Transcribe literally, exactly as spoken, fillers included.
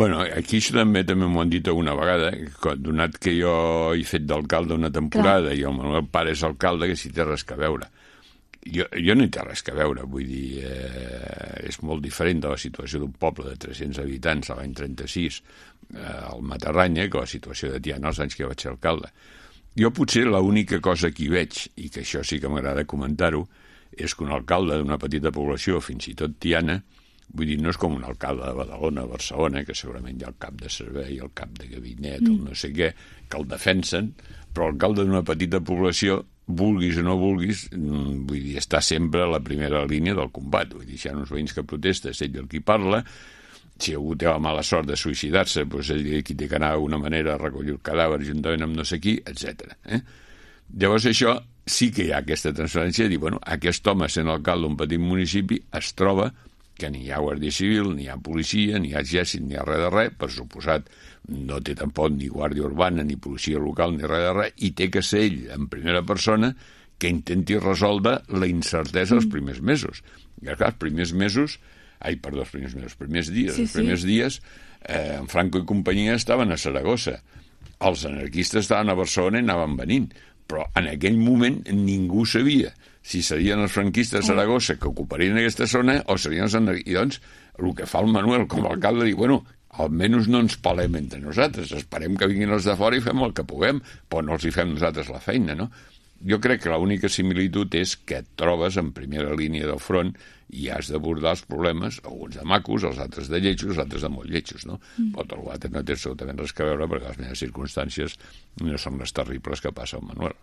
Bueno, aquí això també també m'ho han dit alguna vegada, que donat que jo he fet d'alcalde una temporada Clar. i el Manuel Pare és alcalde, que si té res que veure. Jo, jo no hi té res que veure, vull dir, eh, és molt diferent de la situació d'un poble de tres-cents habitants a l'any trenta-sis eh, al Matarranya que la situació de Tiana als anys que vaig ser alcalde. Jo potser l'única cosa que hi veig, i que això sí que m'agrada comentar-ho, és que un alcalde d'una petita població, fins i tot Tiana, vull dir, no és com un alcalde de Badalona, Barcelona, que segurament hi ha el cap de servei, el cap de gabinet, el no sé què, que el defensen, però l'alcalde d'una petita població, vulguis o no vulguis, vull dir, està sempre a la primera línia del combat. Vull dir, si hi ha uns veïns que protesta, és ell el qui parla, si algú té la mala sort de suïcidar-se, doncs ell qui té que anar d'una manera a recollir el cadàver juntament amb no sé qui, etcètera. Eh? Llavors això sí que hi ha aquesta transferència de dir, bueno, aquest home sent alcalde d'un petit municipi es troba que ni hi ha guàrdia civil, ni hi ha policia, ni hi ha exèrcit, ni hi ha res de res, per suposat no té tampoc ni guàrdia urbana, ni policia local, ni res de res, i té que ser ell, en primera persona, que intenti resoldre la incertesa els primers mesos. I clar, els primers mesos, ai, perdó, els primers mesos, els primers dies, sí, els primers sí. dies, eh, en Franco i companyia estaven a Saragossa, els anarquistes estaven a Barcelona i anaven venint, però en aquell moment ningú sabia si serien els franquistes de Saragossa que ocuparien aquesta zona o serien els anarquistes. I doncs, el que fa el Manuel com a alcalde, diu, bueno, almenys no ens palem entre nosaltres, esperem que vinguin els de fora i fem el que puguem, però no els hi fem nosaltres la feina, no? Jo crec que l'única similitud és que et trobes en primera línia del front i has d'abordar els problemes, alguns de macos, els altres de lletjos, els altres de molt lletjos, no? Mm. Però tot l'altre no té absolutament res que veure perquè les meves circumstàncies no són les terribles que passa al Manuel.